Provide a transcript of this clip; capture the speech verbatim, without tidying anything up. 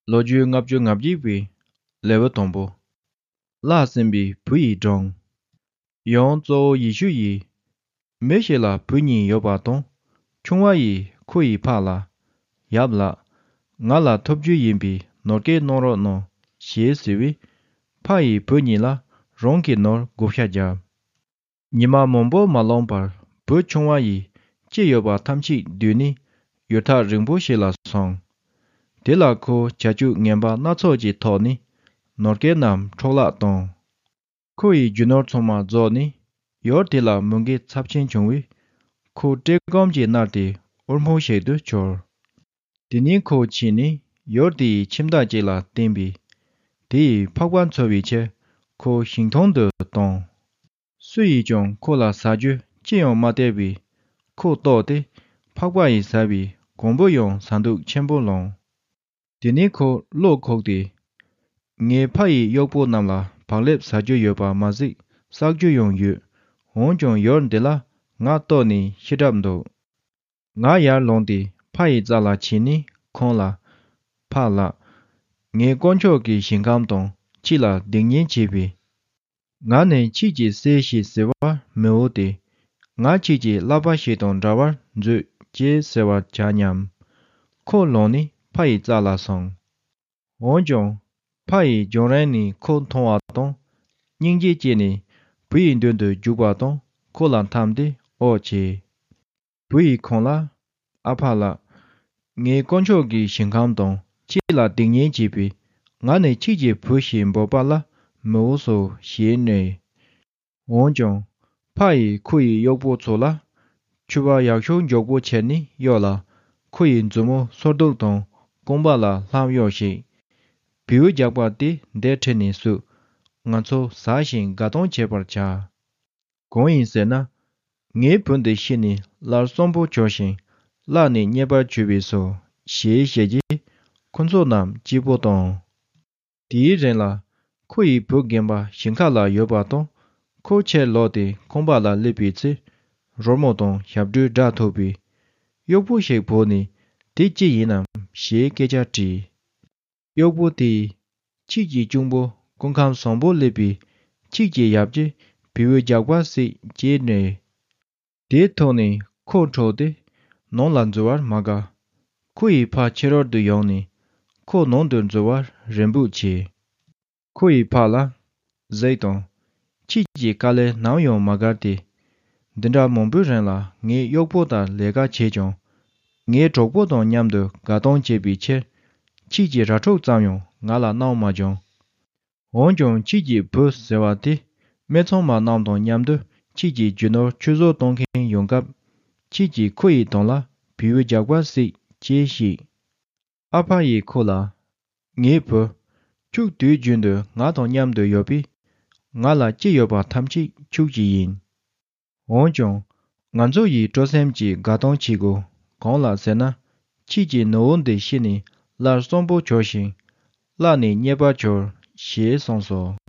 ལོ་རྒྱུས་ལྔ་བཅུ་ང་བརྒྱད་པའི་ལེའུ་དང་པོ། བརླགས་ཟིན་པའི་བུ་ཡི་སྒྲུང་། ཡང་གཙོ་བོ་ཡེ་ཤུ་ཡིས། མི་ཞིག་ལ་བུ་གཉིས་ཡོད་པ་དང་། ཆུང་བ་ཡིས་ཁོ་ཡི་ཕ་ལ། ཡབ་ལགས། ང་ལ་ཐོབ་རྒྱུ་ཡིན་པའི་ནོར་སྐལ་གནང་རོགས་གནང་ཞེས་ཟེར་བས། ཕ་ཡིས་བུ་གཉིས་ལ་རང་གི་ནོར་བགོ་བཤའ་བརྒྱབ། ཉི་མ་མང་པོ་མ་ལོན་པར་བུ་ཆུང་བ་ཡིས་ཅི་ཡོད་པ་ཐམས་ཅད་བསྡུས་ནས་ཡུལ་ཐག་རིང་པོ་ཞིག་ལ་སོང་། དེ་ལ་ཁོ་བྱ་སྤྱོད་ངན་པ་སྣ་ཚོགས་ཀྱི་ཐོག་ནས་ནོར་སྐལ་རྣམས་འཕྲོ་བརླག་བཏང་། ཁོ་ཡི་རྒྱུ་ནོར་ཚང་མ་རྫོགས་ནས་ཡུལ་དེ་ལ་མུ་གེ་ཚབས་ཆེན་བྱུང་བས། ཁོ་བཀྲེས་སྐོམ་གྱིས་མནར་ཏེ་འུར་སྨྲིག་ཞིག་ཏུ་གྱུར། དེ་ནས་ཁོ་ཕྱིན་ནས་ཡུལ་དེའི་ཁྱིམ་བདག་ཅིག་ལ་བསྟེན་པས། དེ་ཡིས་ཕག་པ་འཚོ་བའི་ཕྱིར་ཁོ་ཞིང་ཐང་དུ་བཏང་། སུ་ཡིས་ཀྱང་ཁོ་ལ་ཟ་རྒྱུ་ཅི་ཡང་མ་སྟེར་བས། ཁོ་ལྟོགས་ཏེ་ཕག་པ་ཡིས་ཟ་བའི་གོང་བུ་ཡང་ཟ་འདོད་ཆེན་པོ་ལངས། དེ་ནས་ཁོ་བློ་ཁོག་སྟེ། ངའི་ཕ་ཡི་གཡོག་པོ་རྣམས་ལ་བག་ལེབ་ཟ་རྒྱུ་ཡོད་པ་མ་ཟད་བསགས་རྒྱུ་ཡང་ཡོད། འོན་ཀྱང་ཡུལ་འདི་ལ་ང་ལྟོགས་ནས་ཤི་གྲབས་འདུག་ང་ཡར་ལངས་ཏེ་ཕ་ཡི་རྩ་ལ་ཕྱིན་ནས་ཁོང་ལ། ཕ་ལགས། ངའི་དཀོན་མཆོག་གི་ཞིང་ཁམས་དང་ཁྱེད་ལ་སྡིག་ཉེས་བྱས་པས། ང་ནི་ཁྱེད་ཀྱི་སྲས་ཤིག་བྱེད་པར་མི་འོས་ཏེ། ང་ཁྱེད་ཀྱི་བསླབ་པ་ཞིག་དང་འདྲ་བར་མཛོད་ཅེས་ཟེར་བར་བྱ་སྙམ། ཁོ་ལངས་ནས་ཕ་ཡི་རྩ་ལ་སོང་། འོན་ཀྱང་། ཕ་ཡིས་རྒྱང་རིང་ནས་ཁོ་མཐོང་བ་དང་། སྙིང་རྗེ་སྐྱེས་ནས་བུ་ཡི་མདུན་དུ་རྒྱུག་པ་དང་ཁོ་ལ་འཐམས་ཏེ་ཨོ་བྱས། བུ་ཡིས་ཁོང་ལ། ཨ་ཕ་ལགས། ངའི་དཀོན་མཆོག་གི་ཞིང་ཁམས་དང་ཁྱེད་ལ་སྡིག་ཉེས་བྱས་པས། ང་ནི་ཁྱེད་ཀྱི་བུ་ཞིག་འབོད་པ་ལ་མི་འོས་སོ་ཞེས་སྨྲས། འོན་ཀྱང་། ཕ་ཡིས་ཁོ་ཡི་གཡོག་པོ་ཚོ་ལ། ཕྱུ་པ་ཡག་ཤོས་མགྱོགས་པོ་ཁྱེར་ནས་གཡོག་ལ། ཁོ་ཡི་མཛུབ་མོ་སོར་གདུབ་དང་རྐང་པ་ལ་ལྷམ་གཡོགས་ཤིག་བེའུ་རྒྱགས་པ་དེ་འདི་ཁྲིད་ནས་སུ། ང་ཚོ་ཟ་ཞིང་དགའ་སྟོན་བྱེད་པར་བྱ། གང་ཡིན་ཟེར་ན། ངའི་བུ་འདི་ཤི་ནས་སླར་གསོན་པོ་གྱུར་ཞིང་བརླགས་ནས་རྙེད་པར་གྱུར་པས་སོ། ཞེས་བཤད་རྗེས་ཁོ་ཚོ་རྣམས་སྐྱིད་པོ་བཏང་། དེའི་རིང་ལ་ཁོ་ཡི་བུ་རྒན་པ་ཞིང་ཁ་ལ་ཡོད་པ་དང་། ཁོ་ཕྱིར་ལོག་སྟེ་ཁང་པ་ལ་སླེབས་པའི་ཚེ། རོལ་མོ་དང་ཞབས་བྲོའི་སྒྲ་ཐོས་པས། གཡོག་པོ་ཞིག་བོས་ནས་དེ་ཅི་ཡིན་ནམ་ཞེས་སྐད་ཆ་དྲིས། གཡོག་པོ་དེས། ཁྱེད་ཀྱི་གཅུང་པོ་སྐུ་ཁམས་བཟང་པོ་སླེབས་པས། ཁྱེད་ཀྱི་ཡབ་ཀྱིས་བེའུ་རྒྱགས་པ་བསད་ཅེས་སྨྲས། དེ་ཐོས་ནས་ཁོ་འཕྲོག་སྟེ་ནང་ལ་འཛུལ་བར་མ་དགའ། ཁོ་ཡི་ཕ་ཕྱི་རོལ་དུ་ཡོང་ནས་ཁོ་ནང་དུ་འཛུལ་བར་རེ་འབོད་བྱས། ཁོ་ཡི་ཕ་ལ། གཟིགས་དང་། ཁྱེད་ཀྱི་དཀའ་ལས་ནམ་ཡང་མ་དགར་ཏེ། འདི་འདྲ་མང་པོའི་རིང་ལ་ངའི་གཡོག་པོ་དང་ལས་ཀ་བྱས་ཀྱང་། ངའི་གྲོགས་པོ་དང་མཉམ་དུ་དགའ་སྟོན་བྱེད་པའི་ཕྱིར། ཁྱེད་ཀྱིས་ར་ཕྲུག་ཙམ་ཡང་ང་ལ་གནང་མ་བྱུང་། འོན་ཀྱང་ཁྱེད་ཀྱི་བུ་ཟེར་བ་དེ་དམག་ཚང་མ་རྣམས་དང་མཉམ་དུ་ཁྱེད་ཀྱི་རྒྱུ་ནོར་ཆུད་ཟོས་གཏོང་མཁན་ཡོང་སྐབས། ཁྱེད་ཀྱིས་ཁོ་ཡི་གདོང་ལ་བེའུ་རྒྱགས་པ་བསད་ཅེས་བཤད། ཨ་ཕ་ཡིས་ཁོ་ལ། ངའི་བུ། ཁྱོད་དུས་རྒྱུན་དུ་ང་དང་མཉམ་དུ་ཡོད་པས། ང་ལ་ཅི་ཡོད་པ་ཐམས་ཅད་ཁྱོད་ཀྱི་ཡིན། འོན་ཀྱང་། ང་ཚོ་ཡིས་སྤྲོ་སེམས་ཀྱིས་དགའ་སྟོན་བྱེད་དགོས། གང་ལགས་ཟེར་ན། ཁྱེད་ཀྱི་ནུ་བོ་འདི་ཤི་ནས་སླར་གསོན་པོ་གྱུར་ཞིང་། བརླགས་ནས་རྙེད་པར་གྱུར། ཞེས་གསུངས་སོ།